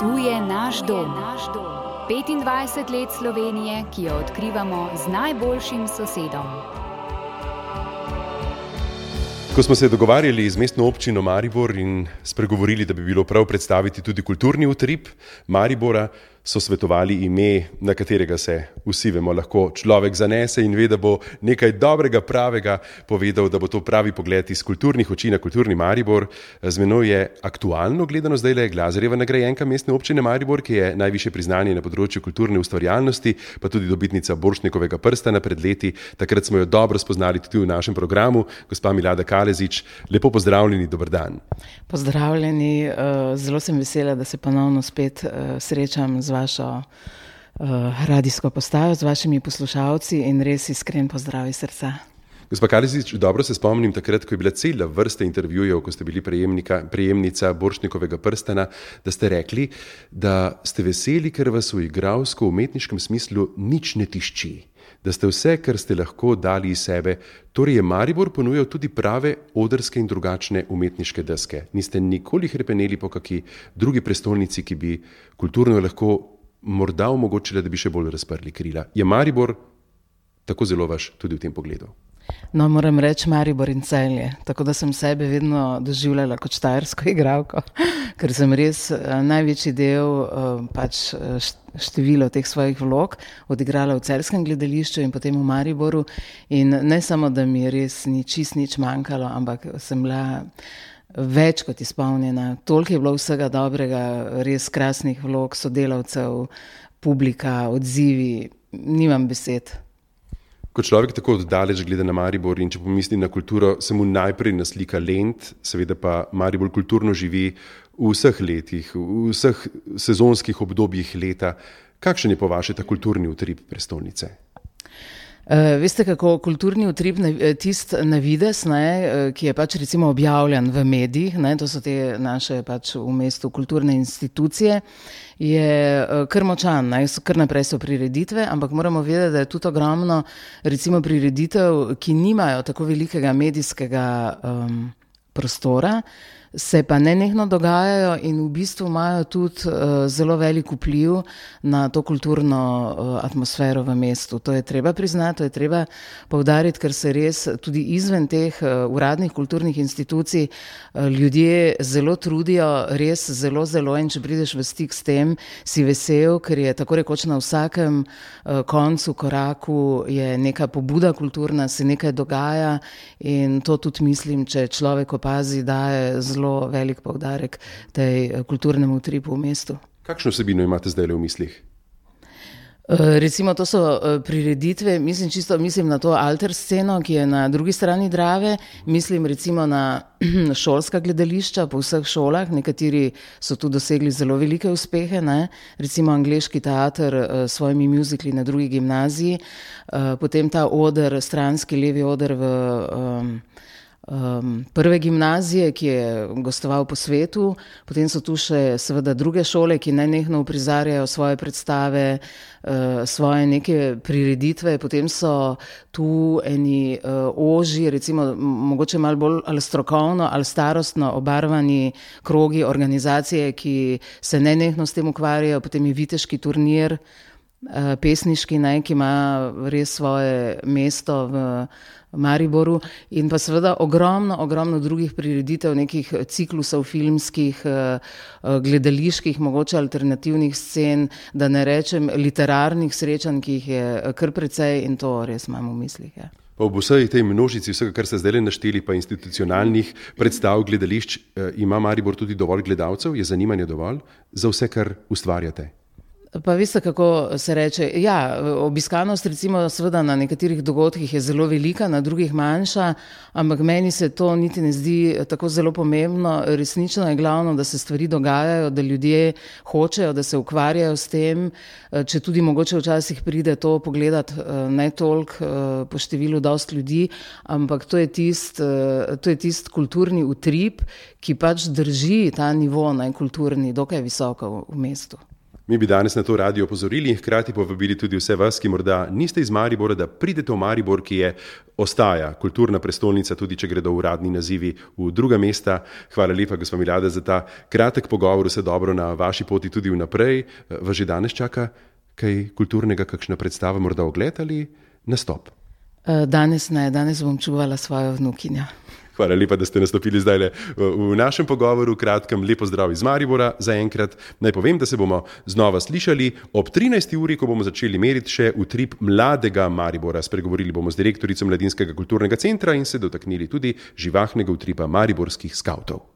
Tu je naš dom. 25 let Slovenije, ki jo odkrivamo z najboljšim sosedom. Ko smo se dogovarjali z mestno občino Maribor in spregovorili, da bi bilo prav predstaviti tudi kulturni utrip Maribora, so svetovali ime, na katerega se vsi vemo, lahko človek zanese in ve, da bo nekaj dobrega, pravega povedal, da bo to pravi pogled iz kulturnih oči na kulturni Maribor. Z menoj je aktualno gledano zdajle Glazerjeva nagrajenka mestne občine Maribor, ki je najvišje priznanje na področju kulturne ustvarjalnosti, pa tudi dobitnica Borštnikovega prstana pred leti. Takrat smo jo dobro spoznali tudi v našem programu. Gospa Milada Kalezić, lepo pozdravljeni, dober dan. Pozdravljeni, zelo sem vesela, da se ponovno spet srečam z vašo radijsko postajo, z vašimi poslušalci in res iskren pozdrav iz srca. Gospa Kalezić, dobro se spomnim takrat, ko je bila cela vrsta intervjujev, ko ste bili prejemnica Borštnikovega prstana, da ste rekli, da ste veseli, ker vas v igralsko-umetniškem smislu nič ne tišči, da ste vse, kar ste lahko dali iz sebe. Torej je Maribor ponujal tudi prave odrske in drugačne umetniške deske. Niste nikoli hrepeneli po kaki drugi prestolnici, ki bi kulturno lahko morda omogočila, da bi še bolj razprli krila. Je Maribor tako zelo vaš tudi v tem pogledu? No, moram reči Maribor in Celje, tako da sem sebe vedno doživljala kot štajersko igralko, ker sem res največji del število teh svojih vlog odigrala v celjskem gledališču in potem v Mariboru in ne samo, da mi res ni čist nič manjkalo, ampak sem bila več kot izpolnjena. Toliko je bilo vsega dobrega, res krasnih vlog, sodelavcev, publika, odzivi, nimam besed. Ko človek tako oddaleč gleda na Maribor in če pomisli na kulturo, se mu najprej naslika Lent, seveda pa Maribor kulturno živi v vseh letih, v vseh sezonskih obdobjih leta. Kakšen je po vaše ta kulturni utrip prestolnice? Veste, kako kulturni utrip, tist na vides, ki je pač recimo objavljen v medijih, to so te naše pač v mestu kulturne institucije, je kar močan, kar naprej so prireditve, ampak moramo vedeti, da je tudi ogromno recimo prireditev, ki nimajo tako velikega medijskega prostora, se pa nenehno dogajajo in v bistvu imajo tudi zelo velik vpliv na to kulturno atmosfero v mestu. To je treba priznati, to je treba poudariti, ker se res tudi izven teh uradnih kulturnih institucij ljudje zelo trudijo, res zelo, in če prideš v stik s tem, si vesel, ker je tako rekoč na vsakem koncu, koraku je neka pobuda kulturna, se nekaj dogaja in to tudi mislim, če človek opazi, daje zelo velik poudarek tej kulturnemu utripu v mestu. Kakšno vsebino imate zdaj v mislih? Recimo to so prireditve, mislim na to alter sceno, ki je na drugi strani Drave, mislim recimo na šolska gledališča po vseh šolah, nekateri so tu dosegli zelo velike uspehe, recimo angleški teater s svojimi muzikli na drugi gimnaziji, potem ta oder, stranski levi oder v prve gimnazije, ki je gostoval po svetu, potem so tu še seveda druge šole, ki nenehno uprizarjajo svoje predstave, svoje neke prireditve, potem so tu eni ožji, recimo mogoče malo bolj ali strokovno ali starostno obarvani krogi organizacije, ki se nenehno s tem ukvarjajo, potem je viteški turnir, pesniški, ki ima res svoje mesto v Mariboru in pa seveda ogromno drugih prireditev, nekih ciklusov filmskih, gledaliških, mogoče alternativnih scen, da ne rečem literarnih srečanj, ki jih je kar precej in to res imam v mislih. Ja. Pa v vsej tej množici vsega, kar ste zdaj našteli, pa institucionalnih predstav, gledališč, ima Maribor tudi dovolj gledalcev? Je zanimanje dovolj za vse, kar ustvarjate? Pa veste, kako se reče, ja, obiskanost recimo seveda na nekaterih dogodkih je zelo velika, na drugih manjša, ampak meni se to niti ne zdi tako zelo pomembno. Resnično je glavno, da se stvari dogajajo, da ljudje hočejo, da se ukvarjajo s tem, če tudi mogoče včasih pride to pogledati ne toliko po številu dost ljudi, ampak to je tist kulturni utrip, ki pač drži ta nivo kulturni dokaj visoko v mestu. Mi bi danes na to radi opozorili, hkrati povabili tudi vse vas, ki morda niste iz Maribora, da pridete v Maribor, ki ostaja kulturna prestolnica, tudi če gredo uradni nazivi v druga mesta. Hvala lepa, gospa Milada, za ta kratek pogovor, vse dobro na vaši poti tudi vnaprej. Vas že danes čaka kaj kulturnega, kakšna predstava, morda ogled ali nastop? Danes ne, danes bom čuvala svojo vnukinjo. Hvala lepa, da ste nastopili zdaj v našem pogovoru. Kratkem lepo zdrav iz Maribora. Zaenkrat naj povem, da se bomo znova slišali ob 13. uri, ko bomo začeli meriti še utrip mladega Maribora. Spregovorili bomo z direktorico Mladinskega kulturnega centra in se dotaknili tudi živahnega utripa mariborskih skavtov.